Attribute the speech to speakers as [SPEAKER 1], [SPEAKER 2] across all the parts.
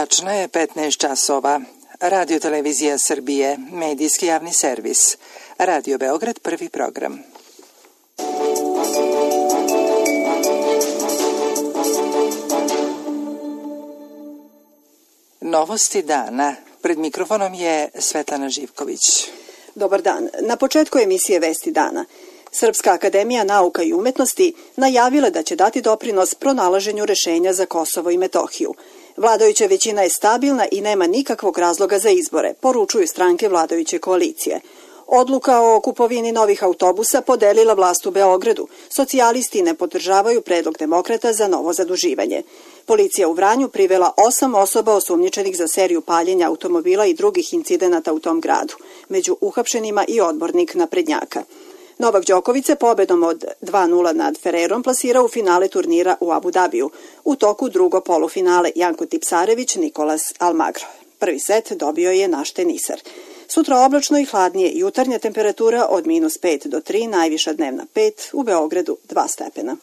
[SPEAKER 1] Tačno je 15 časova. Radio Televizija Srbije, medijski javni servis. Radio Beograd, prvi program. Novosti dana. Pred mikrofonom je Svetlana Živković.
[SPEAKER 2] Dobar dan. Na početku emisije Vesti dana. Srpska akademija nauka i umetnosti najavila da će dati doprinos pronalaženju rešenja za Kosovo i Metohiju. Vladajuća većina je stabilna i nema nikakvog razloga za izbore, poručuju stranke vladajuće koalicije. Odluka o kupovini novih autobusa podelila vlast u Beogradu. Socijalisti ne podržavaju predlog demokrata za novo zaduživanje. Policija u Vranju privela 8 osoba osumnjičenih za seriju paljenja automobila i drugih incidenata u tom gradu. Među uhapšenima i odbornik naprednjaka. Novak Đoković se pobedom od 2:0 nad Ferrerom plasirao u finale turnira u Abu Dabiju. U toku drugo polufinale Janko Tipsarević, Nikolas Almagro. Prvi set dobio je naš teniser. Sutra oblačno i hladnije, jutarnja temperatura od -5 do 3, najviša dnevna 5, u Beogradu 2 stepena.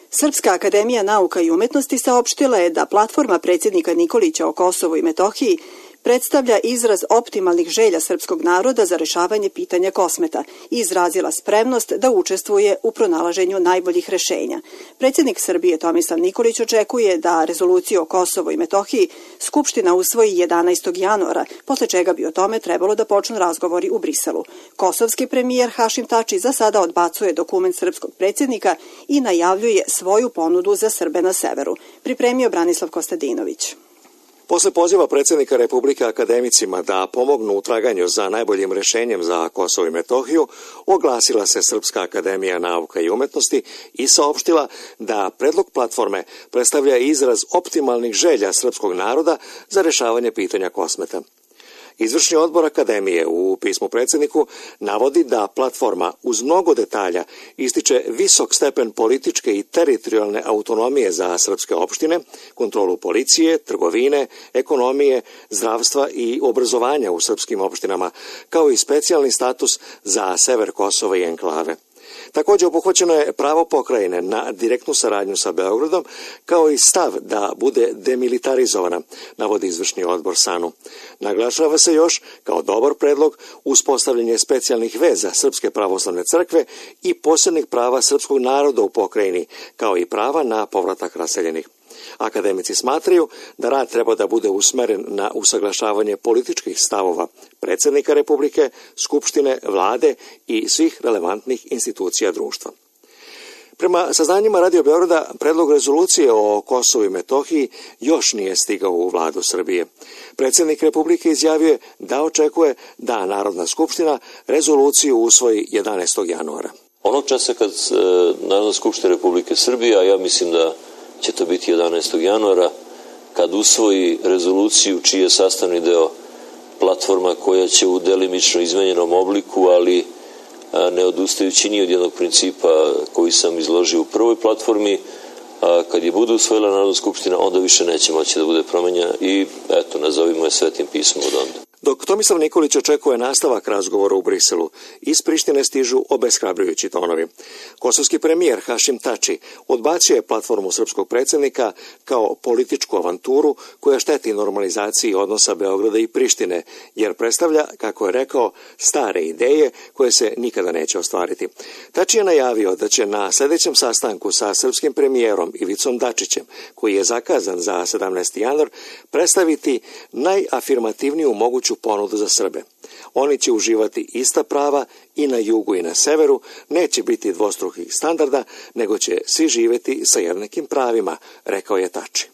[SPEAKER 2] Srpska akademija nauka i umetnosti saopštila je da platforma predsjednika Nikolića o Kosovu i Metohiji predstavlja izraz optimalnih želja srpskog naroda za rešavanje pitanja Kosmeta i izrazila spremnost da učestvuje u pronalaženju najboljih rešenja. Predsjednik Srbije Tomislav Nikolić očekuje da rezoluciju o Kosovu i Metohiji Skupština usvoji 11. januara, posle čega bi o tome trebalo da počnu razgovori u Briselu. Kosovski premijer Hašim Tači za sada odbacuje dokument srpskog predsjednika i najavljuje svoju ponudu za Srbe na severu. Pripremio Branislav Kostadinović.
[SPEAKER 3] Posle poziva predsjednika Republike akademicima da pomognu u traganju za najboljim rešenjem za Kosovo i Metohiju, oglasila se Srpska akademija nauka i umetnosti i saopštila da predlog platforme predstavlja izraz optimalnih želja srpskog naroda za rešavanje pitanja Kosmeta. Izvršni odbor akademije u pismu predsjedniku navodi da platforma uz mnogo detalja ističe visok stepen političke i teritorijalne autonomije za srpske opštine, kontrolu policije, trgovine, ekonomije, zdravstva i obrazovanja u srpskim opštinama, kao i specijalni status za sever Kosova i enklave. Također obuhvaćeno je pravo pokrajine na direktnu saradnju sa Beogradom, kao i stav da bude demilitarizovana, navodi izvršni odbor SANU. Naglašava se još kao dobar predlog uspostavljanje specijalnih veza Srpske pravoslavne crkve i posebnih prava srpskog naroda u pokrajini, kao i prava na povratak raseljenih. Akademici smatraju da rad treba da bude usmeren na usaglašavanje političkih stavova predsjednika Republike, Skupštine, vlade i svih relevantnih institucija društva. Prema saznanjima Radio Beograda, predlog rezolucije o Kosovu i Metohiji još nije stigao u vladu Srbije. Predsjednik Republike izjavio da očekuje da Narodna skupština rezoluciju usvoji 11. januara.
[SPEAKER 4] Onog časa kad Narodna skupština Republike Srbije, a ja mislim da će to biti 11. januara, kad usvoji rezoluciju čiji je sastavni deo platforma koja će u delimično izmenjenom obliku, ali ne odustajući ni od jednog principa koji sam izložio u prvoj platformi, kad je bude usvojila Narodna skupština, onda više neće moći da bude promenjena i eto, nazovimo je svetim pismom od onda.
[SPEAKER 3] Dok Tomislav Nikolić očekuje nastavak razgovora u Briselu, iz Prištine stižu obeshrabrujući tonovi. Kosovski premijer Hašim Tači odbacio je platformu srpskog predsjednika kao političku avanturu koja šteti normalizaciji odnosa Beograda i Prištine, jer predstavlja, kako je rekao, stare ideje koje se nikada neće ostvariti. Tači je najavio da će na sljedećem sastanku sa srpskim premijerom Ivicom Dačićem, koji je zakazan za 17. januar, predstaviti najafirmativniju moguću ponudu za Srbe. Oni će uživati ista prava i na jugu i na severu, neće biti dvostrukih standarda, nego će svi živjeti sa jednakim pravima, rekao je Tači.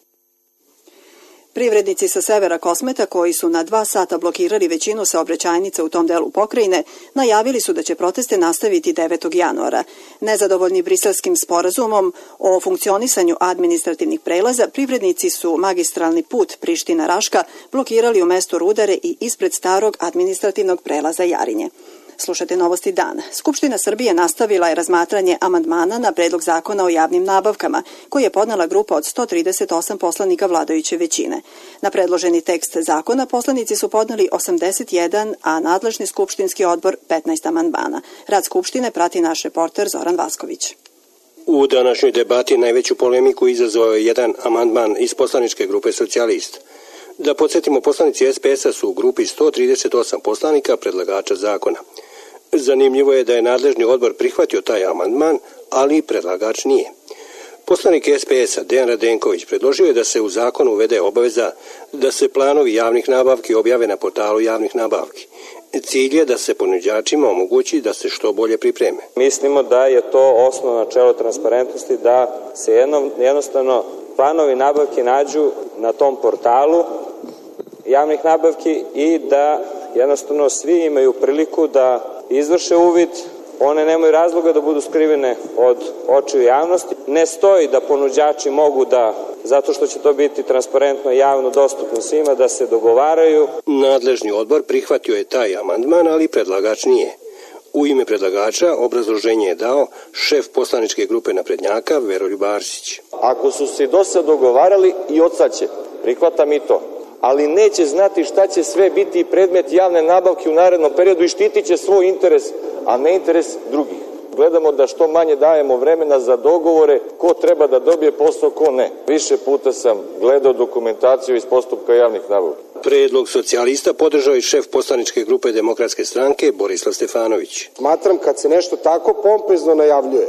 [SPEAKER 2] Privrednici sa severa Kosmeta, koji su na 2 sata blokirali većinu saobraćajnica u tom delu pokrajine, najavili su da će proteste nastaviti 9. januara. Nezadovoljni briselskim sporazumom o funkcionisanju administrativnih prelaza, privrednici su magistralni put Priština-Raška blokirali u mestu Rudare i ispred starog administrativnog prelaza Jarinje. Slušajte novosti dana. Skupština Srbije nastavila je razmatranje amandmana na predlog zakona o javnim nabavkama, koji je podnela grupa od 138 poslanika vladajuće većine. Na predloženi tekst zakona poslanici su podneli 81, a nadležni skupštinski odbor 15 amandmana. Rad Skupštine prati naš reporter Zoran Vasković.
[SPEAKER 5] U današnjoj debati najveću polemiku izazvao je jedan amandman iz poslaničke grupe Socijalista. Da podsjetimo, poslanici SPS-a su u grupi 138 poslanika predlagača zakona. Zanimljivo je da je nadležni odbor prihvatio taj amandman, ali predlagač nije. Poslanik SPS-a Dejan Radenković predložio je da se u zakonu uvede obaveza da se planovi javnih nabavki objave na portalu javnih nabavki. Cilj je da se ponuđačima omogući da se što bolje pripreme.
[SPEAKER 6] Mislimo da je to osnovno načelo transparentnosti, da se jednostavno planovi nabavke nađu na tom portalu javnih nabavki i da jednostavno svi imaju priliku da izvrše uvid. One nemaju razloga da budu skrivene od očiju javnosti. Ne stoji da ponuđači mogu da, zato što će to biti transparentno i javno dostupno svima, da se dogovaraju.
[SPEAKER 5] Nadležni odbor prihvatio je taj amandman, ali predlagač nije. U ime predlagača obrazloženje je dao šef poslaničke grupe naprednjaka Veroljub Arsić.
[SPEAKER 7] Ako su se do sad dogovarali i od sad će, prihvatam i to, ali neće znati šta će sve biti predmet javne nabavke u narednom periodu i štitit će svoj interes, a ne interes drugih. Gledamo da što manje dajemo vremena za dogovore ko treba da dobije posao, ko ne. Više puta sam gledao dokumentaciju iz postupka javnih nabavki.
[SPEAKER 5] Predlog Socijalista podržao i šef poslaničke grupe Demokratske stranke Borislav Stefanović.
[SPEAKER 8] Smatram kad se nešto tako pompezno najavljuje,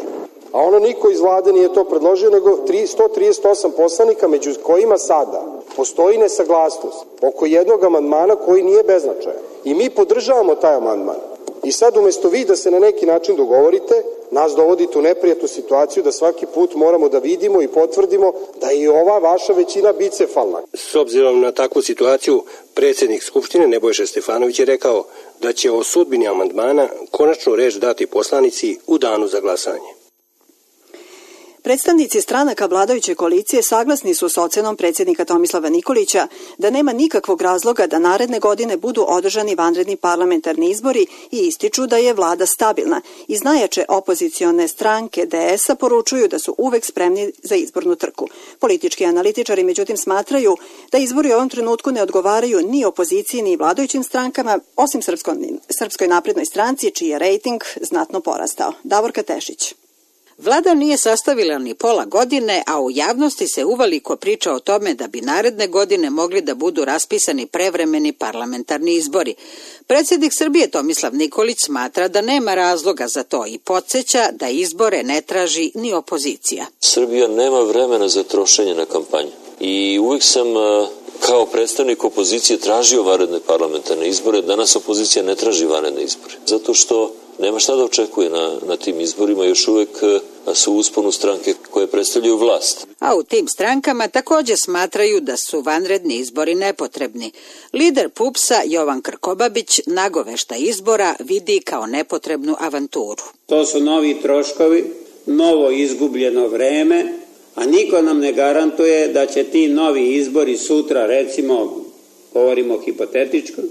[SPEAKER 8] a ono niko iz vlade nije to predložio, nego 138 poslanika, među kojima sada postoji nesaglasnost oko jednog amandmana koji nije beznačajan. I mi podržavamo taj amandman. I sad umesto vi da se na neki način dogovorite, nas dovodite u neprijatnu situaciju da svaki put moramo da vidimo i potvrdimo da je i ova vaša većina bicefalna.
[SPEAKER 5] S obzirom na takvu situaciju, predsjednik Skupštine Nebojša Stefanović je rekao da će o sudbini amandmana konačnu reč dati poslanici u danu za glasanje.
[SPEAKER 2] Predstavnici stranaka vladajuće koalicije saglasni su s ocenom predsjednika Tomislava Nikolića da nema nikakvog razloga da naredne godine budu održani vanredni parlamentarni izbori i ističu da je vlada stabilna. Iz najjače opozicione stranke DS-a poručuju da su uvek spremni za izbornu trku. Politički analitičari međutim smatraju da izbori u ovom trenutku ne odgovaraju ni opoziciji ni vladajućim strankama, osim Srpskoj naprednoj stranci, čiji je rejting znatno porastao. Davorka Tešić.
[SPEAKER 9] Vlada nije sastavila ni pola godine, a u javnosti se uveliko priča o tome da bi naredne godine mogli da budu raspisani prevremeni parlamentarni izbori. Predsjednik Srbije Tomislav Nikolić smatra da nema razloga za to i podsjeća da izbore ne traži ni opozicija.
[SPEAKER 4] Srbija nema vremena za trošenje na kampanju i uvijek sam kao predstavnik opozicije tražio vanredne parlamentarne izbore. Danas opozicija ne traži vanredne izbore, zato što nema šta da očekuje na tim izborima, još uvek su u usponu stranke koje predstavljaju vlast.
[SPEAKER 9] A u tim strankama također smatraju da su vanredni izbori nepotrebni. Lider PUPS-a Jovan Krkobabić nagovešta izbora vidi kao nepotrebnu avanturu.
[SPEAKER 10] To su novi troškovi, novo izgubljeno vreme, a niko nam ne garantuje da će ti novi izbori sutra, recimo, govorimo hipotetičko,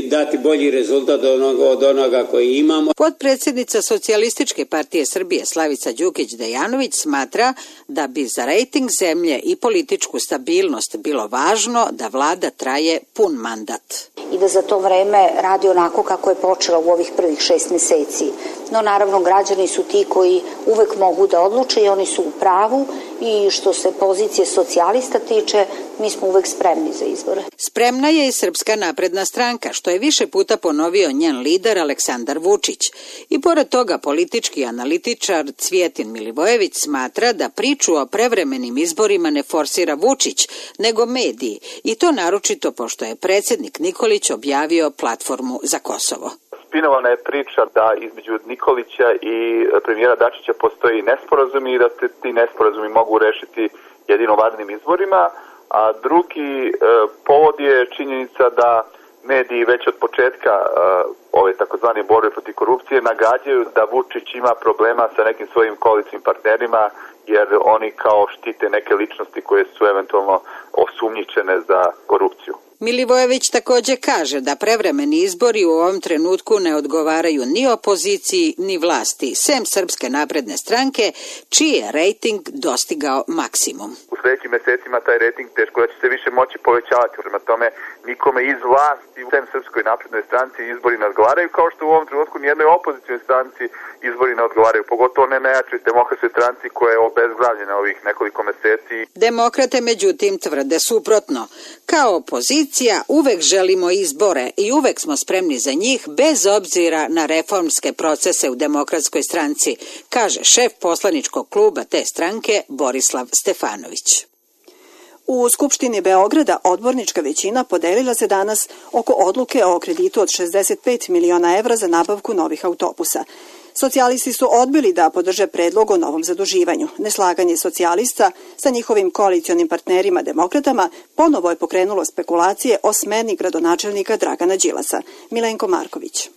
[SPEAKER 10] dati bolji rezultat od onoga koji imamo.
[SPEAKER 9] Potpredsjednica Socijalističke partije Srbije Slavica Đukić-Dejanović smatra da bi za rejting zemlje i političku stabilnost bilo važno da vlada traje pun mandat.
[SPEAKER 11] I da za to vreme radi onako kako je počela u ovih prvih 6 meseci. No naravno građani su ti koji uvek mogu da odluče i oni su u pravu i što se pozicije socijalista tiče, mi smo uvek spremni za izbore.
[SPEAKER 9] Spremna je i Srpska napredna stranka, što je više puta ponovio njen lider Aleksandar Vučić. I pored toga politički analitičar Cvijetin Milivojević smatra da priču o prevremenim izborima ne forsira Vučić, nego mediji. I to naročito pošto je predsjednik Nikolić objavio platformu za Kosovo.
[SPEAKER 12] Spinovana je priča da između Nikolića i premijera Dačića postoji nesporazumi i da se ti nesporazumi mogu rešiti jedino vanrednim izborima, a drugi povod je činjenica da mediji već od početka ove takozvane borbe protiv korupcije nagađaju da Vučić ima problema sa nekim svojim koalicijnim partnerima jer oni kao štite neke ličnosti koje su eventualno osumnjičene za korupciju.
[SPEAKER 9] Milivojević takođe kaže da prevremeni izbori u ovom trenutku ne odgovaraju ni opoziciji ni vlasti, sem Srpske napredne stranke, čiji je rejting dostigao maksimum.
[SPEAKER 12] U sledećim mesecima taj rejting teško da će se više moći povećavati. Prema tome, nikome iz vlasti, sem Srpskoj naprednoj stranci, izbori ne odgovaraju, kao što u ovom trenutku nijednoj opozicijnoj stranci izbori ne odgovaraju, pogotovo ne najjačoj demokratskoj stranci koja je obezglavljena ovih nekoliko meseci.
[SPEAKER 9] Demokrate, međutim, tvrde suprotno. Kao opozicija uvek želimo izbore i uvek smo spremni za njih bez obzira na reformske procese u Demokratskoj stranci, kaže šef poslaničkog kluba te stranke Borislav Stefanović.
[SPEAKER 2] U Skupštini Beograda odbornička većina podelila se danas oko odluke o kreditu od 65 miliona evra za nabavku novih autobusa. Socijalisti su odbili da podrže predlog o novom zaduživanju. Neslaganje socijalista sa njihovim koalicionim partnerima demokratama ponovo je pokrenulo spekulacije o smeni gradonačelnika Dragana Đilasa. Milenko Marković.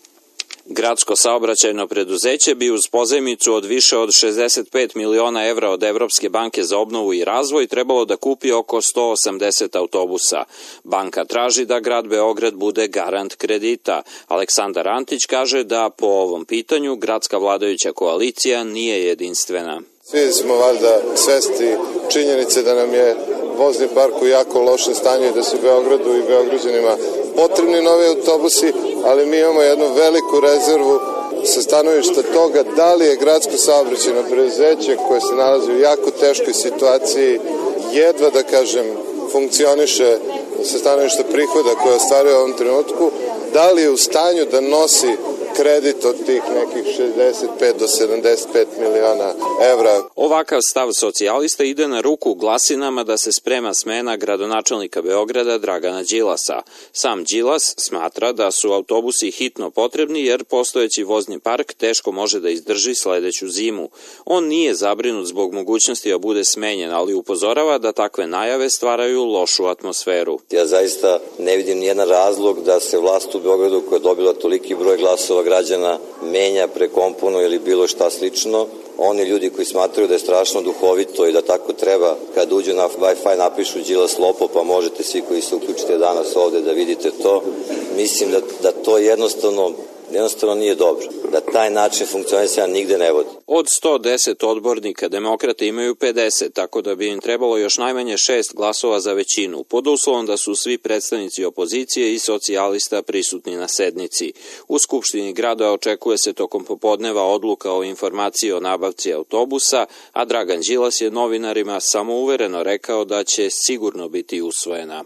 [SPEAKER 13] Gradsko saobraćajno preduzeće bi uz pozajmicu od više od 65 miliona evra od Evropske banke za obnovu i razvoj trebalo da kupi oko 180 autobusa. Banka traži da grad Beograd bude garant kredita. Aleksandar Antić kaže da po ovom pitanju gradska vladajuća koalicija nije jedinstvena.
[SPEAKER 14] Svi smo valjda svesti činjenice da nam je vozni park u jako lošem stanju i da su Beogradu i Beograđanima potrebni novi autobusi, ali mi imamo jednu veliku rezervu sa stanovišta toga da li je gradsko saobraćajno preduzeće koje se nalazi u jako teškoj situaciji, jedva da kažem funkcioniše sa stanovišta prihoda koje ostvaruje u ovom trenutku, da li je u stanju da nosi kredit od tih nekih 65 do 75 miliona evra.
[SPEAKER 13] Ovakav stav socijalista ide na ruku glasinama da se sprema smena gradonačelnika Beograda Dragana Đilasa. Sam Đilas smatra da su autobusi hitno potrebni jer postojeći vozni park teško može da izdrži sledeću zimu. On nije zabrinut zbog mogućnosti da bude smenjen, ali upozorava da takve najave stvaraju lošu atmosferu.
[SPEAKER 15] Ja zaista ne vidim nijedan razlog da se vlast u Beogradu koja je dobila toliki broj glasova građana menja, prekomponuje ili bilo šta slično. Oni ljudi koji smatraju da je strašno duhovito i da tako treba, kad uđu na Wi-Fi napišu Đilas lopov, pa možete svi koji se uključite danas ovde da vidite to. Mislim da to jednostavno nije dobro, da taj način funkcionisanja nigde ne vodi.
[SPEAKER 13] Od 110 odbornika demokrate imaju 50, tako da bi im trebalo još najmanje 6 glasova za većinu, pod uslovom da su svi predstavnici opozicije i socijalista prisutni na sednici. U Skupštini grada očekuje se tokom popodneva odluka o informaciji o nabavci autobusa, a Dragan Đilas je novinarima samouvereno rekao da će sigurno biti usvojena.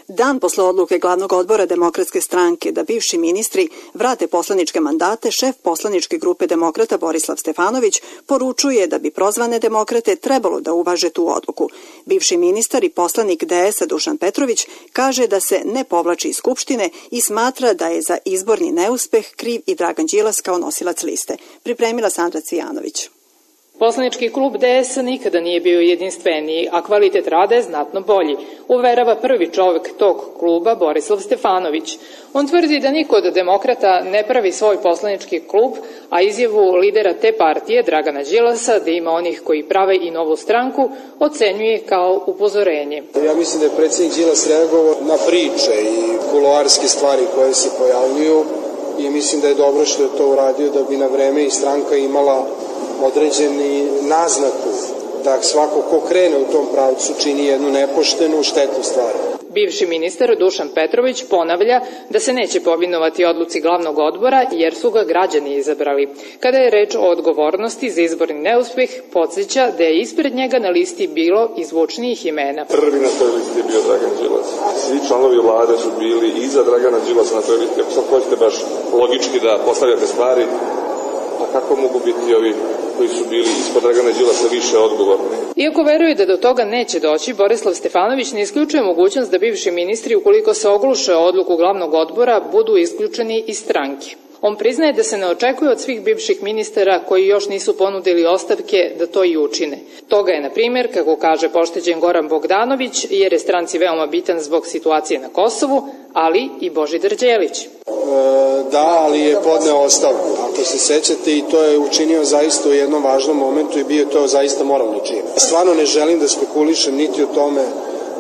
[SPEAKER 2] Dan posle odluke glavnog odbora Demokratske stranke da bivši ministri vrate poslaničke mandate, šef poslaničke grupe demokrata Borislav Stefanović poručuje da bi prozvane demokrate trebalo da uvaže tu odluku. Bivši ministar i poslanik DS-a Dušan Petrović kaže da se ne povlači iz Skupštine i smatra da je za izborni neuspeh kriv i Dragan Đilas kao nosilac liste. Pripremila Sandra Cvijanović.
[SPEAKER 16] Poslanički klub DS nikada nije bio jedinstveniji, a kvalitet rada je znatno bolji, uverava prvi čovek tog kluba Borislav Stefanović. On tvrdi da niko od demokrata ne pravi svoj poslanički klub, a izjavu lidera te partije, Dragana Đilasa, da ima onih koji prave i novu stranku, ocenjuje kao upozorenje.
[SPEAKER 8] Ja mislim da je predsjednik Đilas reagovao na priče i kuloarske stvari koje se pojavljuju i mislim da je dobro što je to uradio da bi na vreme i stranka imala određeni naznaku da svako ko krene u tom pravcu čini jednu nepoštenu, štetnu stvar.
[SPEAKER 16] Bivši ministar Dušan Petrović ponavlja da se neće povinovati odluci glavnog odbora jer su ga građani izabrali. Kada je reč o odgovornosti za izborni neuspeh, podsjeća da je ispred njega na listi bilo izvučnijih imena.
[SPEAKER 17] Prvi na toj listi je bio Dragan Đilas. Svi članovi vlade su bili iza Dragana Đilasa na toj listi. Ako sad hoćete baš logički da postavljate stvari, a kako mogu biti ovi koji su bili ispod Dragana Đilasa više odgovorni?
[SPEAKER 16] Iako veruje da do toga neće doći, Borislav Stefanović ne isključuje mogućnost da bivši ministri, ukoliko se ogluše o odluku glavnog odbora, budu isključeni iz stranke. On priznaje da se ne očekuje od svih bivših ministara koji još nisu ponudili ostavke da to i učine. Toga je, na primjer, kako kaže pošteđen Goran Bogdanović, jer je stranci veoma bitan zbog situacije na Kosovu, ali i Božidar Đelić.
[SPEAKER 8] Da, ali je podneo ostavku. Ako se sećate, i to je učinio zaista u jednom važnom momentu i bio to zaista moralni čin. Stvarno ne želim da spekulišem niti o tome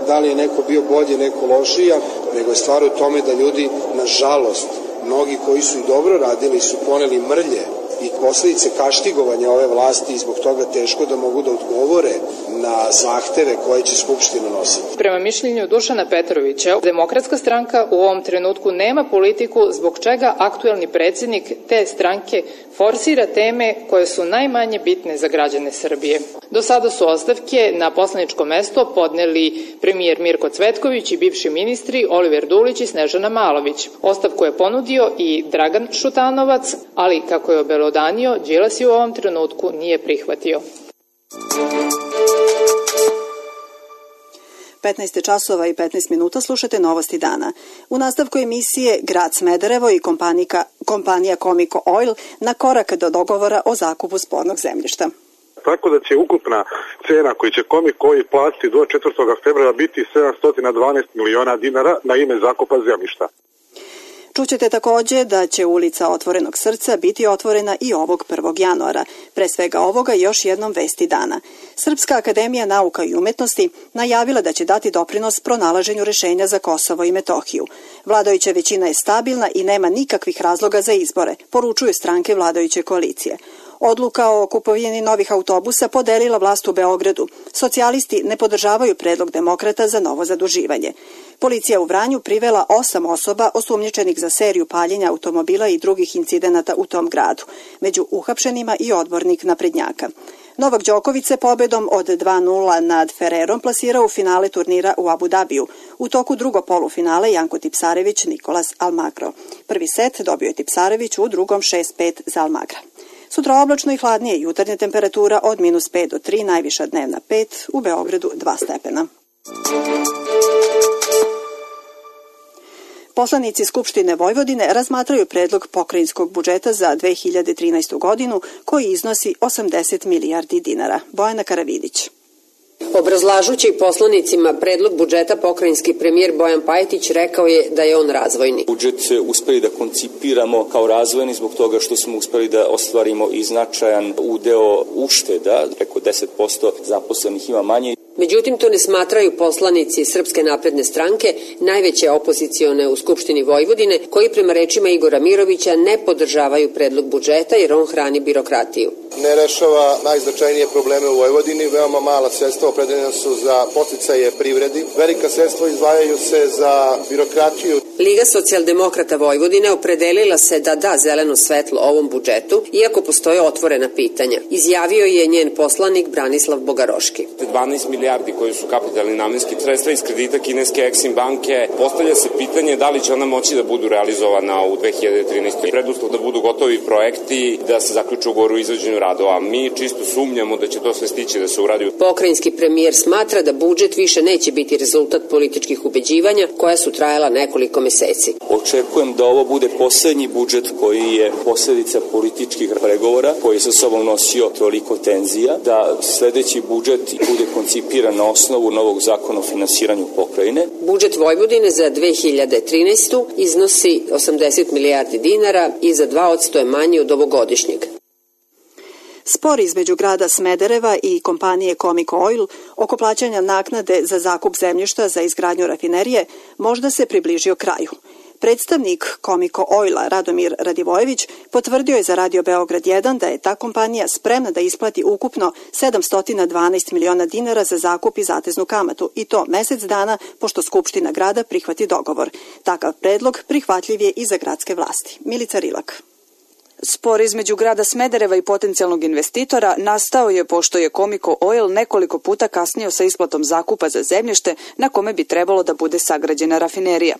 [SPEAKER 8] da li je neko bio bolji, neko lošija, nego je stvar u tome da ljudi, nažalost, mnogi koji su i dobro radili su poneli mrlje i posljedice kaštigovanja ove vlasti i zbog toga teško da mogu da odgovore na zahteve koje će Skupština nositi.
[SPEAKER 16] Prema mišljenju Dušana Petrovića, Demokratska stranka u ovom trenutku nema politiku zbog čega aktuelni predsjednik te stranke forsira teme koje su najmanje bitne za građane Srbije. Do sada su ostavke na poslaničko mesto podneli premijer Mirko Cvetković i bivši ministri Oliver Dulić i Snežana Malović. Ostavku je ponudio i Dragan Šutanovac, ali kako je obelodanio, Đilas je u ovom trenutku nije prihvatio.
[SPEAKER 2] 15 časova i 15 minuta slušate Novosti dana. U nastavku emisije Grad Smederevo i kompanija Comico Oil na korak do dogovora o zakupu spornog zemljišta.
[SPEAKER 18] Tako da će ukupna cena koju će Comico Oil platiti do 4. februara biti 712 miliona dinara na ime zakupa zemljišta.
[SPEAKER 2] Čućete također da će ulica Otvorenog srca biti otvorena i ovog 1. januara. Pre svega ovoga još jednom vesti dana. Srpska akademija nauka i umetnosti najavila da će dati doprinos pronalaženju rešenja za Kosovo i Metohiju. Vladajuća većina je stabilna i nema nikakvih razloga za izbore, poručuju stranke vladajuće koalicije. Odluka o kupovini novih autobusa podelila vlast u Beogradu. Socijalisti ne podržavaju predlog demokrata za novo zaduživanje. Policija u Vranju privela 8 osoba osumnjičenih za seriju paljenja automobila i drugih incidenata u tom gradu. Među uhapšenima i odbornik naprednjaka. Novak Đoković se pobedom od 2-0 nad Ferrerom plasirao u finale turnira u Abu Dabiju. U toku drugog polufinale Janko Tipsarević, Nikolas Almagro. Prvi set dobio je Tipsarević, u drugom 6-5 za Almagra. Sutra oblačno i hladnije, jutarnja temperatura od -5 do 3, najviša dnevna 5, u Beogradu 2 stepena. Poslanici Skupštine Vojvodine razmatraju predlog pokrajinskog budžeta za 2013. godinu koji iznosi 80 milijardi dinara. Bojana Karavidić.
[SPEAKER 19] Obrazlažući poslanicima predlog budžeta, pokrajinski premijer Bojan Pajtić rekao je da je on razvojni.
[SPEAKER 20] Budžet uspeli da koncipiramo kao razvojni zbog toga što smo uspeli da ostvarimo i značajan udeo ušteda, preko 10% zaposlenih ima manje.
[SPEAKER 19] Međutim, to ne smatraju poslanici Srpske napredne stranke, najveće opozicione u Skupštini Vojvodine, koji prema rečima Igora Mirovića ne podržavaju predlog budžeta jer on hrani birokratiju.
[SPEAKER 14] Ne rešava najznačajnije probleme u Vojvodini, veoma mala sredstva opredeljena su za podsticaje privredi, velika sredstva izdvajaju se za birokratiju.
[SPEAKER 19] Liga socijaldemokrata Vojvodine opredelila se da da zeleno svetlo ovom budžetu, iako postoje otvorena pitanja. Izjavio je njen poslanik Branislav Bogaroški.
[SPEAKER 21] 12 milijardi koji su kapitalni namenski sredstva iz kredita kineske Exim banke, postavlja se pitanje da li će ona moći da budu realizovana u 2013. Preduslov da budu gotovi projekti, da se zaključu ugovor o izvođenju radova. Mi čisto sumnjamo da će to sve stići da se uradi.
[SPEAKER 19] Pokrajinski premijer smatra da budžet više neće biti rezultat političkih ubeđivanja koja su trajala nekoliko meseci.
[SPEAKER 20] Očekujem da ovo bude poslednji budžet koji je posljedica političkih pregovora, koji je sa sobom nosio toliko tenzija, da sledeći budžet bude koncipiran na osnovu novog zakona o finansiranju pokrajine.
[SPEAKER 19] Budžet Vojvodine za 2013. iznosi 80 milijardi dinara i za 2% je manji od ovogodišnjeg.
[SPEAKER 2] Spor između grada Smedereva i kompanije Comico Oil oko plaćanja naknade za zakup zemljišta za izgradnju rafinerije možda se približio kraju. Predstavnik Comico Oila Radomir Radivojević potvrdio je za Radio Beograd 1 da je ta kompanija spremna da isplati ukupno 712 miliona dinara za zakup i zateznu kamatu, i to mesec dana pošto Skupština grada prihvati dogovor. Takav predlog prihvatljiv je i za gradske vlasti. Milica Rilak.
[SPEAKER 22] Spor između grada Smedereva i potencijalnog investitora nastao je pošto je Comico Oil nekoliko puta kasnio sa isplatom zakupa za zemljište na kome bi trebalo da bude sagrađena rafinerija.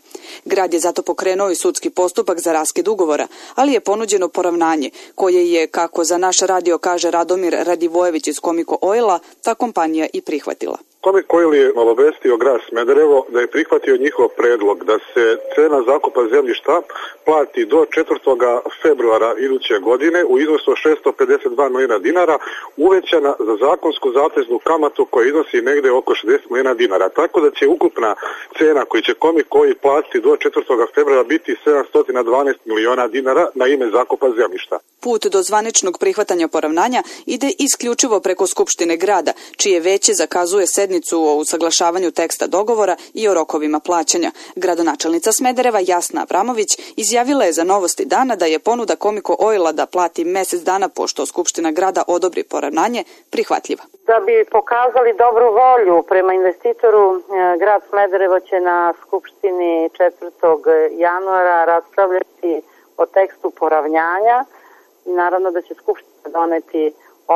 [SPEAKER 22] Grad je zato pokrenuo i sudski postupak za raskid ugovora, ali je ponuđeno poravnanje, koje je, kako za naš radio kaže Radomir Radivojević iz Comico Oila, ta kompanija i prihvatila.
[SPEAKER 18] Comico Oil je obavestio grad Smederevo da je prihvatio njihov predlog da se cena zakupa zemljišta plati do 4. februara iduće godine u iznosu od 652 miliona dinara, uvećana za zakonsku zateznu kamatu koja iznosi negde oko 60 miliona dinara. Tako da će ukupna cena koju će Comico Oil platiti do 4. februara biti 712 miliona dinara na ime zakupa zemljišta.
[SPEAKER 22] Put do zvaničnog prihvatanja poravnanja ide isključivo preko Skupštine grada, čije veće zakazuje sednicu sednicu o usaglašavanju teksta dogovora i o rokovima plaćanja. Gradonačelnica Smedereva Jasna Avramović izjavila je za Novosti dana da je ponuda Komiko Oila da plati mesec dana pošto Skupština grada odobri poravnanje prihvatljiva.
[SPEAKER 1] Da bi pokazali dobru volju prema investitoru, grad Smederevo će na Skupštini 4. januara raspravljati o tekstu poravnjanja i naravno da će Skupština doneti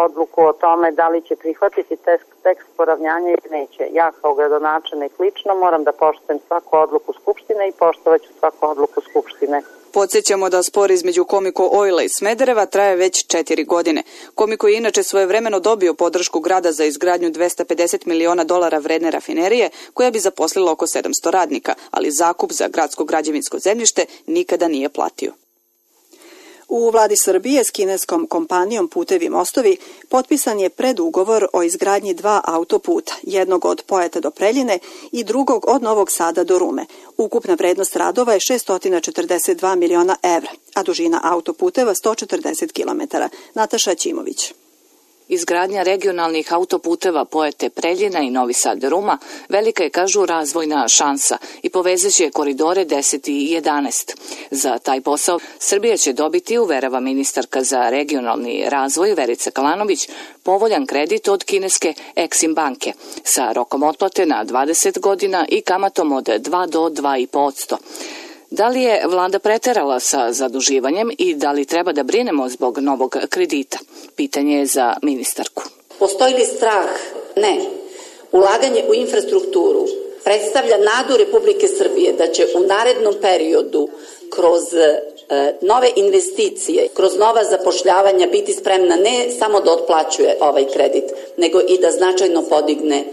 [SPEAKER 1] odluku o tome da li će prihvatiti tekst poravnjanja ili neće. Ja kao gradonačelnik lično moram da poštujem svaku odluku Skupštine i poštovaću svaku odluku Skupštine.
[SPEAKER 22] Podsjećamo da spor između Komiko Oila i Smedereva traje već 4 godine. Komiko je inače svojevremeno dobio podršku grada za izgradnju $250 miliona vredne rafinerije koja bi zaposlila oko 700 radnika, ali zakup za gradsko građevinsko zemljište nikada nije platio.
[SPEAKER 2] U vladi Srbije s kineskom kompanijom Putevi mostovi potpisan je predugovor o izgradnji 2 autoputa, jednog od Pojata do Preljine i drugog od Novog Sada do Rume. Ukupna vrednost radova je 642 miliona evra, a dužina autoputeva 140 km. Nataša Ćimović.
[SPEAKER 3] Izgradnja regionalnih autoputeva Pojate Preljina i Novi Sad Ruma velika je, kažu, razvojna šansa i povezaće koridore 10 i 11. Za taj posao Srbija će dobiti, uverava ministarka za regionalni razvoj Verica Kalanović, povoljan kredit od kineske Exim banke sa rokom otplate na 20 godina i kamatom od 2 do 2,5%. Da li je vlada preterala sa zaduživanjem i da li treba da brinemo zbog novog kredita? Pitanje je za ministarku.
[SPEAKER 23] Postoji li strah? Ne. Ulaganje u infrastrukturu predstavlja nadu Republike Srbije da će u narednom periodu kroz nove investicije, kroz nova zapošljavanja biti spremna ne samo da otplaćuje ovaj kredit, nego i da značajno podigne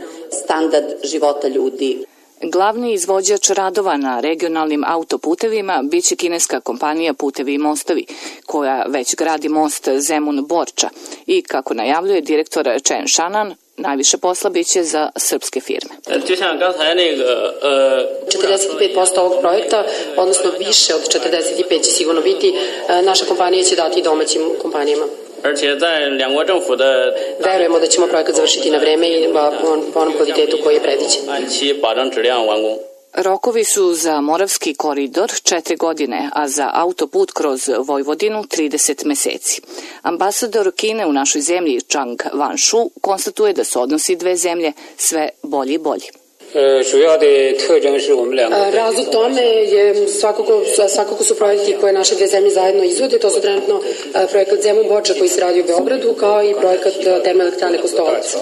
[SPEAKER 23] standard života ljudi.
[SPEAKER 3] Glavni izvođač radova na regionalnim autoputevima biće kineska kompanija Putevi i mostovi, koja već gradi most Zemun-Borča i, kako najavljuje direktor Chen Shanan, najviše posla biće za srpske firme.
[SPEAKER 24] 45% ovog projekta, odnosno više od 45% će sigurno biti, naša kompanija će dati domaćim kompanijama. Verujemo da ćemo projekat završiti na vreme i po onom kvalitetu koji je predviđen.
[SPEAKER 3] Rokovi su za Moravski koridor 4 godine, a za autoput kroz Vojvodinu 30 meseci. Ambasador Kine u našoj zemlji Chang Wanshu konstatuje da su odnosi dve zemlje sve bolji i bolji.
[SPEAKER 24] Razlog tome je svakako su projekti koje naše dve zemlje zajedno izvode. To su trenutno projekat Zemun-Borča koji se radi u Beogradu, kao i projekat termoelektrane Kostolac.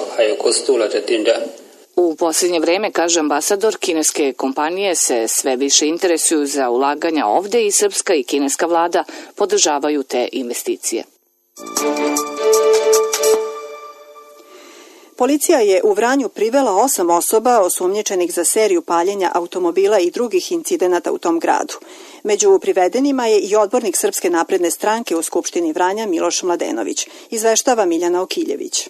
[SPEAKER 3] U posljednje vreme, kaže ambasador, kineske kompanije se sve više interesuju za ulaganja ovde i srpska i kineska vlada podržavaju te investicije.
[SPEAKER 2] Policija je u Vranju privela 8 osoba osumnjičenih za seriju paljenja automobila i drugih incidenata u tom gradu. Među privedenima je i odbornik Srpske napredne stranke u Skupštini Vranja Miloš Mladenović, izveštava Miljana Okiljević.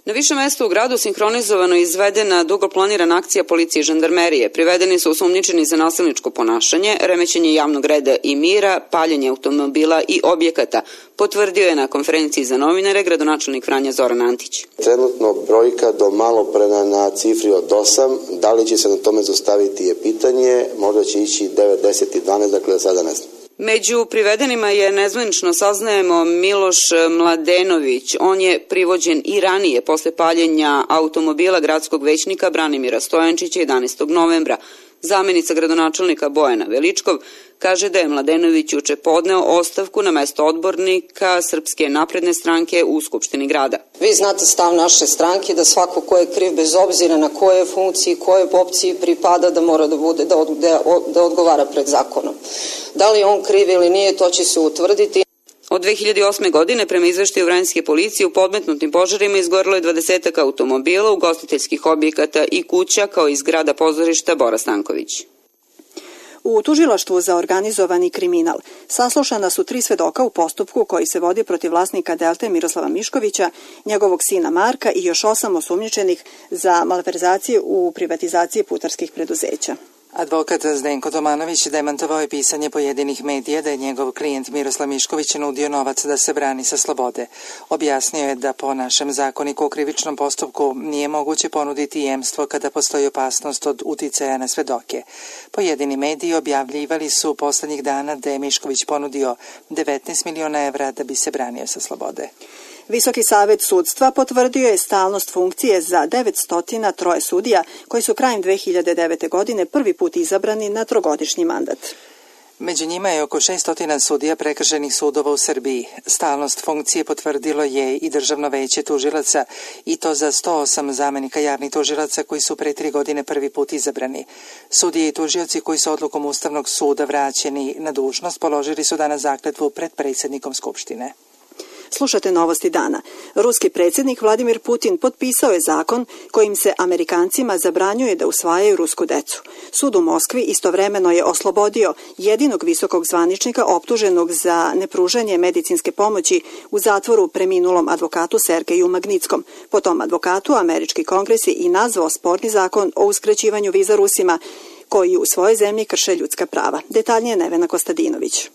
[SPEAKER 25] Na više mesta u gradu sinhronizovano izvedena dugo planirana akcija policije i žandarmerije. Privedeni su osumnjičeni za nasilničko ponašanje, remećenje javnog reda i mira, paljenje automobila i objekata, potvrdio je na konferenciji za novinare gradonačelnik Vranja Zoran Antić.
[SPEAKER 26] Trenutno brojka do malopre na cifri od 8, da li će se na tome zaustaviti je pitanje, možda će ići 9, 10 i 12, dakle da sada ne znam.
[SPEAKER 25] Među privedenima je, nezvanično saznajemo, Miloš Mladenović. On je privođen i ranije posle paljenja automobila gradskog većnika Branimira Stojančića 11. novembra. Zamenica gradonačelnika Bojana Veličkov kaže da je Mladenović juče podneo ostavku na mesto odbornika Srpske napredne stranke u Skupštini grada.
[SPEAKER 27] Vi znate stav naše stranke da svako ko je kriv, bez obzira na koje funkciji, koje opciji pripada, da mora da bude, da odgovara pred zakonom. Da li on kriv ili nije, to će se utvrditi.
[SPEAKER 25] Od 2008. godine, prema izveštaju Vranjske policije, u podmetnutim požarima izgorelo je 20 automobila, ugostiteljskih objekata i kuća, kao i zgrada pozorišta Bora Stanković.
[SPEAKER 2] U tužilaštvu za organizovani kriminal saslušana su 3 svedoka u postupku koji se vodi protiv vlasnika Delte Miroslava Miškovića, njegovog sina Marka i još 8 osumnjičenih za malverzacije u privatizaciji putarskih preduzeća.
[SPEAKER 4] Advokat Zdenko Tomanović demantovao je pisanje pojedinih medija da je njegov klijent Miroslav Mišković nudio novac da se brani sa slobode. Objasnio je da po našem zakoniku o krivičnom postupku nije moguće ponuditi jemstvo kada postoji opasnost od uticaja na svedoke. Pojedini mediji objavljivali su poslednjih dana da je Mišković ponudio 19 miliona evra da bi se branio sa slobode.
[SPEAKER 2] Visoki savet sudstva potvrdio je stalnost funkcije za 903 sudija koji su krajem 2009. godine prvi put izabrani na trogodišnji mandat.
[SPEAKER 4] Među njima je oko 600 sudija prekršajnih sudova u Srbiji. Stalnost funkcije potvrdilo je i Državno veće tužilaca i to za 108 zamenika javnih tužilaca koji su pre 3 godine prvi put izabrani. Sudije i tužioci koji su odlukom Ustavnog suda vraćeni na dužnost položili su danas zakletvu pred predsjednikom Skupštine.
[SPEAKER 2] Slušate novosti dana. Ruski predsjednik Vladimir Putin potpisao je zakon kojim se Amerikancima zabranjuje da usvajaju rusku decu. Sud u Moskvi istovremeno je oslobodio jedinog visokog zvaničnika optuženog za nepružanje medicinske pomoći u zatvoru preminulom advokatu Sergeju Magnitskom. Po tom advokatu američki kongres je i nazvao sporni zakon o uskraćivanju viza Rusima koji u svojoj zemlji krše ljudska prava. Detaljnije Nevena Kostadinović.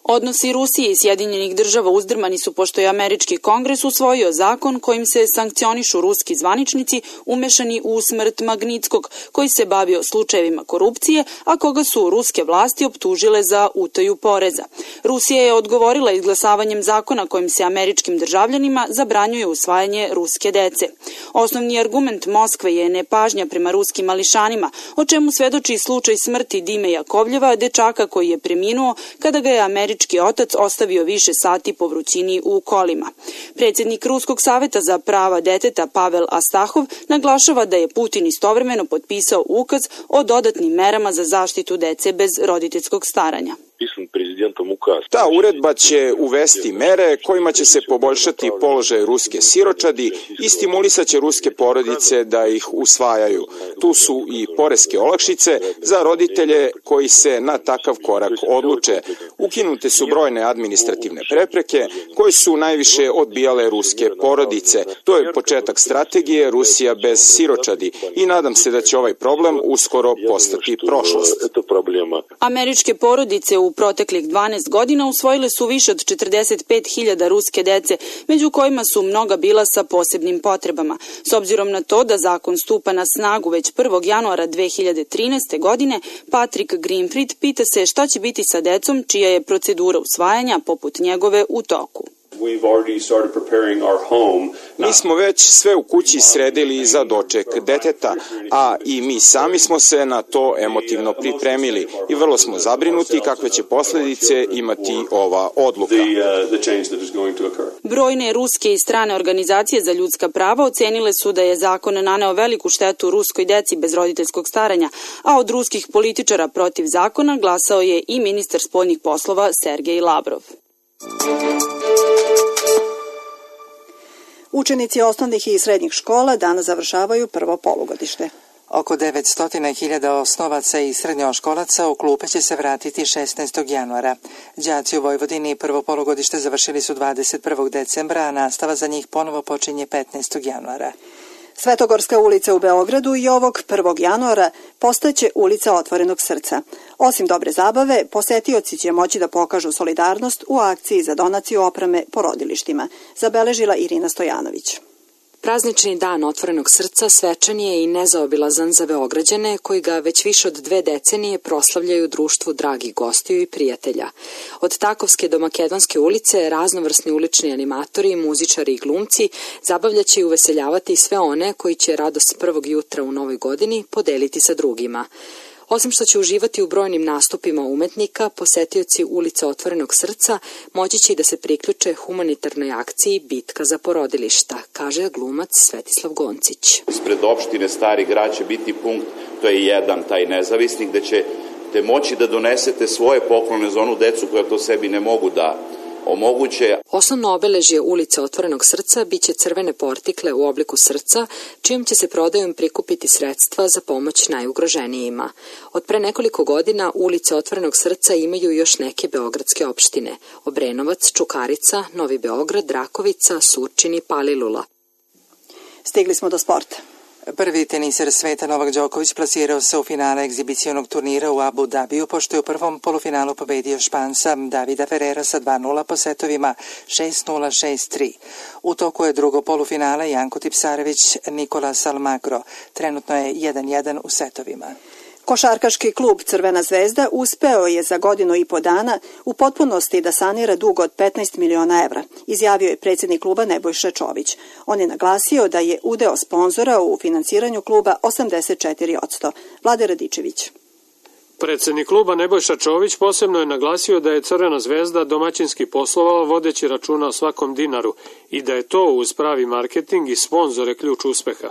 [SPEAKER 5] Odnosi Rusije i Sjedinjenih država uzdrmani su pošto je američki kongres usvojio zakon kojim se sankcionišu ruski zvaničnici umešani u smrt Magnitskog, koji se bavio slučajevima korupcije, a koga su ruske vlasti optužile za utaju poreza. Rusija je odgovorila izglasavanjem zakona kojim se američkim državljanima zabranjuje usvajanje ruske dece. Osnovni argument Moskve je nepažnja prema ruskim mališanima, o čemu svedoči slučaj smrti Dime Jakovljeva, dečaka koji je preminuo kada ga je američki otac ostavio više sati po vrućini u kolima. Predsjednik Ruskog saveta za prava deteta Pavel Astahov naglašava da je Putin istovremeno potpisao ukaz o dodatnim merama za zaštitu dece bez roditeljskog staranja.
[SPEAKER 6] Ta uredba će uvesti mere kojima će se poboljšati položaj ruske siročadi i stimulisaće ruske porodice da ih usvajaju. Tu su i poreske olakšice za roditelje koji se na takav korak odluče. Ukinute su brojne administrativne prepreke koje su najviše odbijale ruske porodice. To je početak strategije Rusija bez siročadi i nadam se da će ovaj problem uskoro postati prošlost.
[SPEAKER 5] Američke porodice u proteklih 12 godina usvojile su više od 45.000 ruske dece, među kojima su mnoga bila sa posebnim potrebama. S obzirom na to da zakon stupa na snagu već 1. januara 2013. godine, Patrick Greenfried pita se šta će biti sa decom čija je procedura usvajanja poput njegove u toku.
[SPEAKER 6] Mi smo već sve u kući sredili za doček deteta, a i mi sami smo se na to emotivno pripremili i vrlo smo zabrinuti kakve će posljedice imati ova odluka.
[SPEAKER 5] Brojne ruske i strane organizacije za ljudska prava ocenile su da je zakon naneo veliku štetu ruskoj deci bez roditeljskog staranja, a od ruskih političara protiv zakona glasao je i ministar spoljnih poslova Sergej Lavrov.
[SPEAKER 2] Učenici osnovnih i srednjih škola danas završavaju prvo polugodište.
[SPEAKER 4] Oko 900.000 osnovaca i srednjoškolaca u klupe će se vratiti 16. januara. Đaci u Vojvodini prvo polugodište završili su 21. decembra, a nastava za njih ponovo počinje 15. januara.
[SPEAKER 2] Svetogorska ulica u Beogradu i ovog 1. januara postaće ulica Otvorenog srca. Osim dobre zabave, posetioci će moći da pokažu solidarnost u akciji za donaciju opreme porodilištima, zabeležila Irina Stojanović.
[SPEAKER 7] Praznični dan Otvorenog srca svečan je i nezaobilazan za Beograđane koji ga već više od 2 decenije proslavljaju društvu dragih gostiju i prijatelja. Od Takovske do Makedonske ulice raznovrsni ulični animatori, muzičari i glumci zabavljaće i uveseljavati sve one koji će radost prvog jutra u novoj godini podeliti sa drugima. Osim što će uživati u brojnim nastupima umetnika, posetioci ulice Otvorenog srca moći će i da se priključe humanitarnoj akciji Bitka za porodilišta, kaže glumac Svetislav Goncić.
[SPEAKER 10] Ispred opštine Stari grad će biti punkt, to je jedan taj nezavisnik, gde ćete moći da donesete svoje poklone za onu decu koja to sebi ne mogu da omoguće.
[SPEAKER 7] Osnovno obeležje ulice Otvorenog srca biće crvene portikle u obliku srca, čijom će se prodajom prikupiti sredstva za pomoć najugroženijima. Od pre nekoliko godina ulice Otvorenog srca imaju još neke beogradske opštine: Obrenovac, Čukarica, Novi Beograd, Rakovica, Surčin i Palilula.
[SPEAKER 2] Stigli smo do sporta.
[SPEAKER 4] Prvi teniser sveta Novak Đoković plasirao se u finale egzibicionog turnira u Abu Dhabiju, pošto je u prvom polufinalu pobedio Španca Davida Ferrera sa 2-0 po setovima 6-0, 6-3. U toku je drugo polufinale Janko Tipsarević, Nikolas Almagro. Trenutno je 1-1 u setovima.
[SPEAKER 2] Košarkaški klub Crvena zvezda uspeo je za godinu i po dana u potpunosti da sanira dug od 15 miliona evra, izjavio je predsjednik kluba Nebojša Čović. On je naglasio da je udeo sponzora u finansiranju kluba 84%. Vlade Radičević.
[SPEAKER 8] Predsjednik kluba Nebojša Čović posebno je naglasio da je Crvena zvezda domaćinski poslovala vodeći računa o svakom dinaru i da je to uz pravi marketing i sponzore ključ uspeha.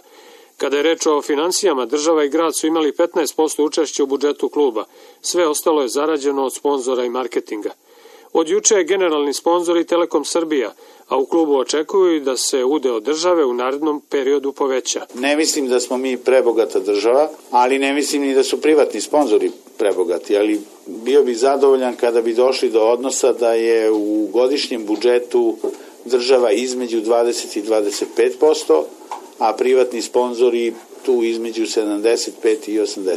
[SPEAKER 8] Kada je reč o finansijama, država i grad su imali 15% učešća u budžetu kluba. Sve ostalo je zarađeno od sponzora i marketinga. Od juče je generalni sponzor i Telekom Srbija, a u klubu očekuju da se udeo države u narednom periodu poveća.
[SPEAKER 9] Ne mislim da smo mi prebogata država, ali ne mislim ni da su privatni sponzori prebogati, ali bio bih zadovoljan kada bi došli do odnosa da je u godišnjem budžetu država između 20 i 25%, a privatni sponzori tu između 75 i 80%.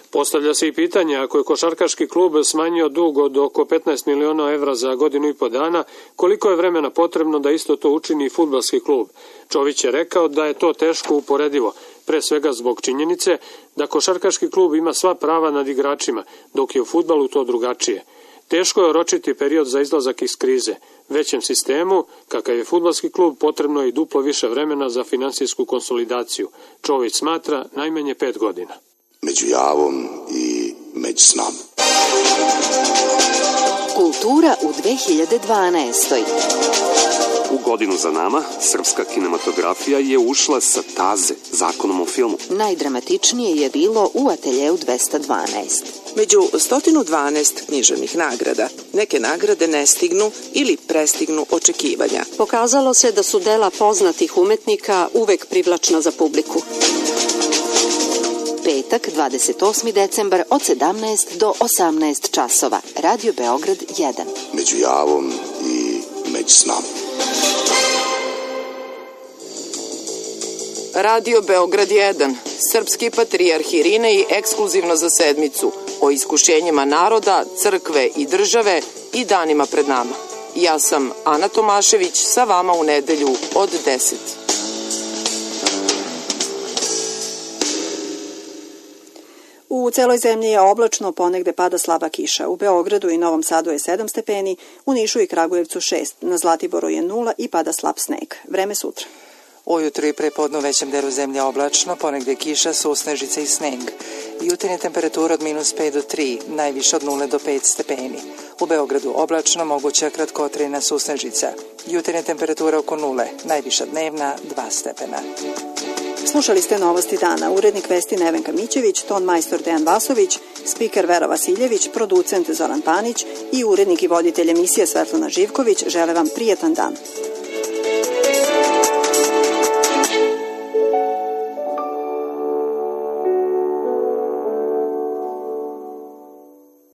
[SPEAKER 8] Postavlja se i pitanje, ako je košarkaški klub smanjio dug od oko 15 miliona evra za godinu i po dana, koliko je vremena potrebno da isto to učini i fudbalski klub? Čović je rekao da je to teško uporedivo, pre svega zbog činjenice da košarkaški klub ima sva prava nad igračima, dok je u fudbalu to drugačije. Teško je oročiti period za izlazak iz krize. Većem sistemu, kakav je fudbalski klub, potrebno je i duplo više vremena za finansijsku konsolidaciju. Čović smatra najmanje 5 godina.
[SPEAKER 11] Među javom i među snom.
[SPEAKER 12] Kultura u 2012.
[SPEAKER 13] U godinu za nama, srpska kinematografija je ušla sa taze, zakonom o filmu.
[SPEAKER 12] Najdramatičnije je bilo u Ateljeu 212.
[SPEAKER 15] Među 112 književnih nagrada, neke nagrade ne stignu ili prestignu očekivanja.
[SPEAKER 17] Pokazalo se da su dela poznatih umetnika uvek privlačna za publiku.
[SPEAKER 12] Petak, 28. decembar od 17 do 18 časova. Radio Beograd 1.
[SPEAKER 11] Među javom i među snom.
[SPEAKER 15] Radio Beograd 1. Srpski patrijarh Irinej ekskluzivno za sedmicu o iskušenjima naroda, crkve i države i danima pred nama. Ja sam Ana Tomašević, sa vama u nedelju od 10.
[SPEAKER 2] U celoj zemlji je oblačno, ponegde pada slaba kiša. U Beogradu i Novom Sadu je 7 stepeni, u Nišu i Kragujevcu 6, na Zlatiboru je 0 i pada slab sneg. Vreme sutra.
[SPEAKER 4] Ujutru i prepodne u većem delu zemlje oblačno, ponegde kiša, susnežice i sneg. Jutarnja temperatura od -5 do 3, najviše od 0 do 5 stepeni. U Beogradu oblačno, moguća kratkotrajna susnežica. Jutarnja temperatura oko 0, najviša dnevna 2 stepena.
[SPEAKER 2] Slušali ste Novosti dana. Urednik vesti Nevenka Mićević, ton majstor Dejan Vasović, spiker Vera Vasiljević, producent Zoran Panić i urednik i voditelj emisije Svetlana Živković žele vam prijetan dan.